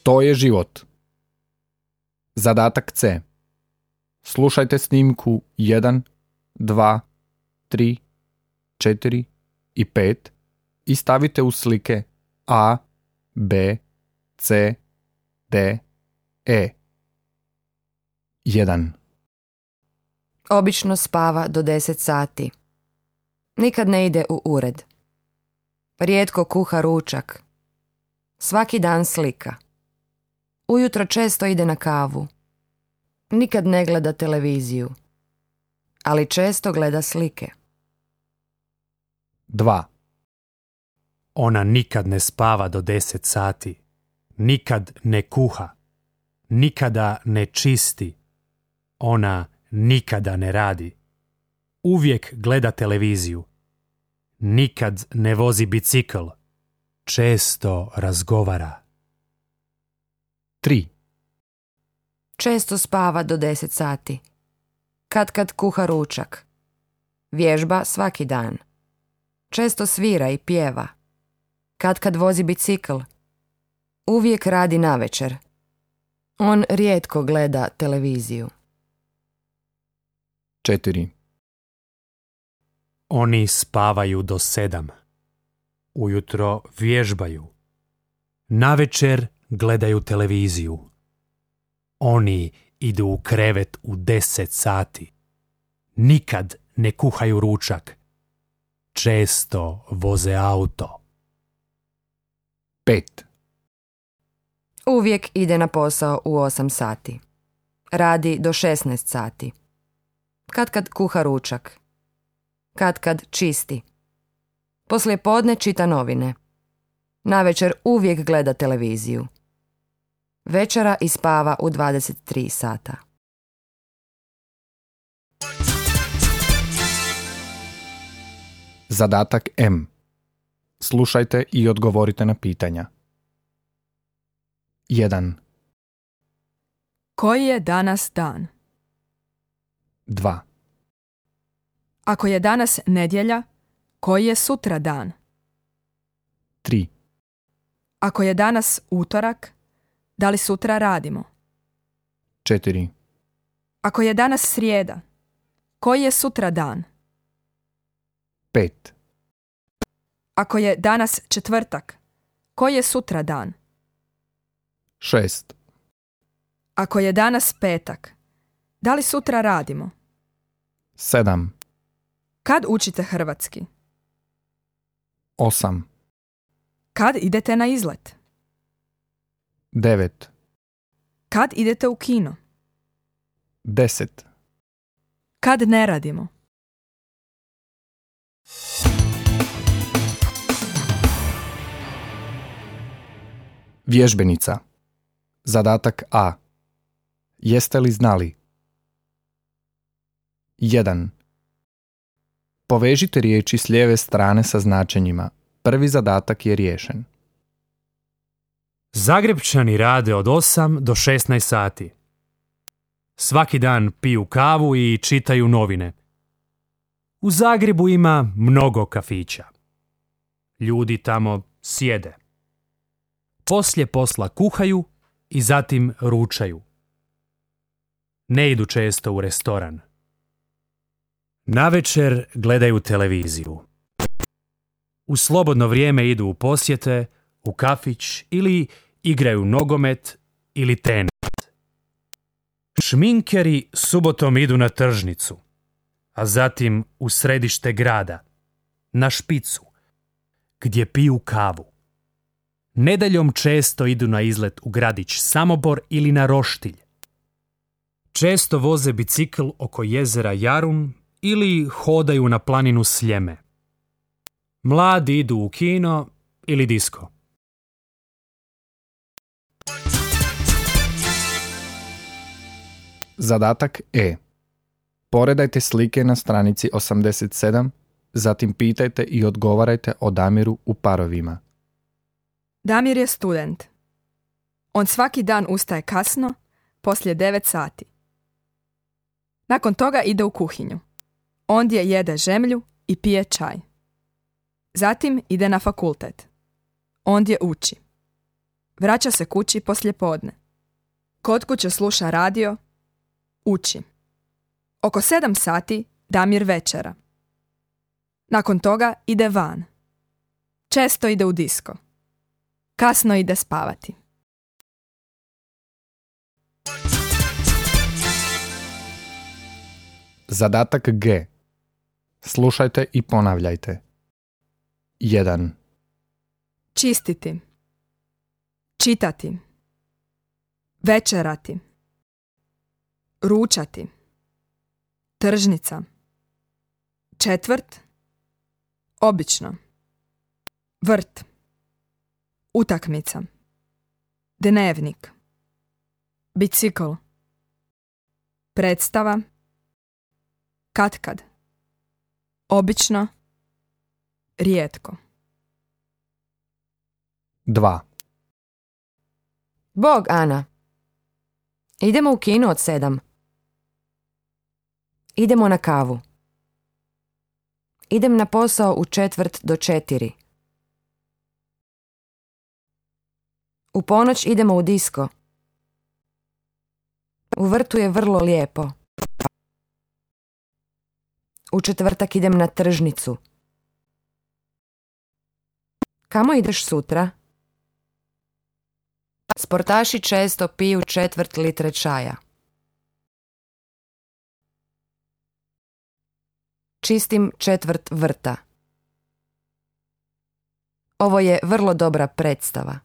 To je život. Zadatak C. Slušajte snimku 1, 2, 3, 4 i 5 i stavite u slike A, B, C, D, E. 1. Obično spava do 10 sati. Nikad ne ide u ured. Rijetko kuha ručak. Svaki dan slika. Ujutro često ide na kavu. Nikad ne gleda televiziju. Ali često gleda slike. 2. Ona nikad ne spava do 10 sati. Nikad ne kuha. Nikada ne čisti. Ona nikada ne radi. Uvijek gleda televiziju. Nikad ne vozi bicikl. Često razgovara. 3. Često spava do 10 sati. Kad kuha ručak. Vježba svaki dan. Često svira i pjeva. Kad vozi bicikl. Uvijek radi navečer. On rijetko gleda televiziju. 4. Oni spavaju do 7. Ujutro vježbaju. Navečer gledaju televiziju. Oni idu u krevet u 10 sati. Nikad ne kuhaju ručak. Često voze auto. 5. Uvijek ide na posao u 8 sati. Radi do 16 sati. Kad kuha ručak. Kad čisti. Poslije podne čita novine. Navečer uvijek gleda televiziju. Večera i spava u 23 sata. Zadatak M. Slušajte i odgovorite na pitanja. 1. Koji je danas dan? 2. Ako je danas nedjelja, koji je sutra dan? 3. Ako je danas utorak, da li sutra radimo? 4. Ako je danas srijeda, koji je sutra dan? 5. Ako je danas četvrtak, koji je sutra dan? 6. Ako je danas petak, da li sutra radimo? 7. Kad učite hrvatski? 8. Kad idete na izlet? 9. Kad idete u kino? 10. Kad ne radimo? Vježbenica. Zadatak A. Jeste li znali? 1. Povežite riječi s lijeve strane sa značenjima. Prvi zadatak je riješen. Zagrepčani rade od 8 do 16 sati. Svaki dan piju kavu i čitaju novine. U Zagrebu ima mnogo kafića. Ljudi tamo sjede. Poslije posla kuhaju i zatim ručaju. Ne idu često u restoran. Navečer gledaju televiziju. U slobodno vrijeme idu u posjete, u kafić ili igraju nogomet ili tenis. Šminkeri subotom idu na tržnicu, a zatim u središte grada, na špicu, gdje piju kavu. Nedjeljom često idu na izlet u gradić Samobor ili na Roštilj. Često voze bicikl oko jezera Jarun ili hodaju na planinu Sljeme. Mladi idu u kino ili disko. Zadatak E. Poredajte slike na stranici 87, zatim pitajte i odgovarajte o Damiru u parovima. Damir je student. On svaki dan ustaje kasno, poslije 9 sati. Nakon toga ide u kuhinju. Ondje jede žemlju i pije čaj. Zatim ide na fakultet. Ondje uči. Vraća se kući poslijepodne. Kod kuće sluša radio, uči. Oko 7 sati Damir večera. Nakon toga ide van. Često ide u disko. Kasno ide spavati. Zadatak G. Slušajte i ponavljajte. 1. Čistiti. Čitati. Večerati. Ručati. Tržnica. Četvrt. Obično. Vrt. Utakmica. Dnevnik. Bicikl. Predstava. Katkad. Obično. Rijetko. 2. Bog, Ana. Idemo u kino od 7. Idemo na kavu. Idem na posao u 3:45. U ponoć idemo u disko. U vrtu je vrlo lijepo. U četvrtak idem na tržnicu. Kamo ideš sutra? Sportaši često piju 1/4 litre čaja. Čistim 1/4 vrta. Ovo je vrlo dobra predstava.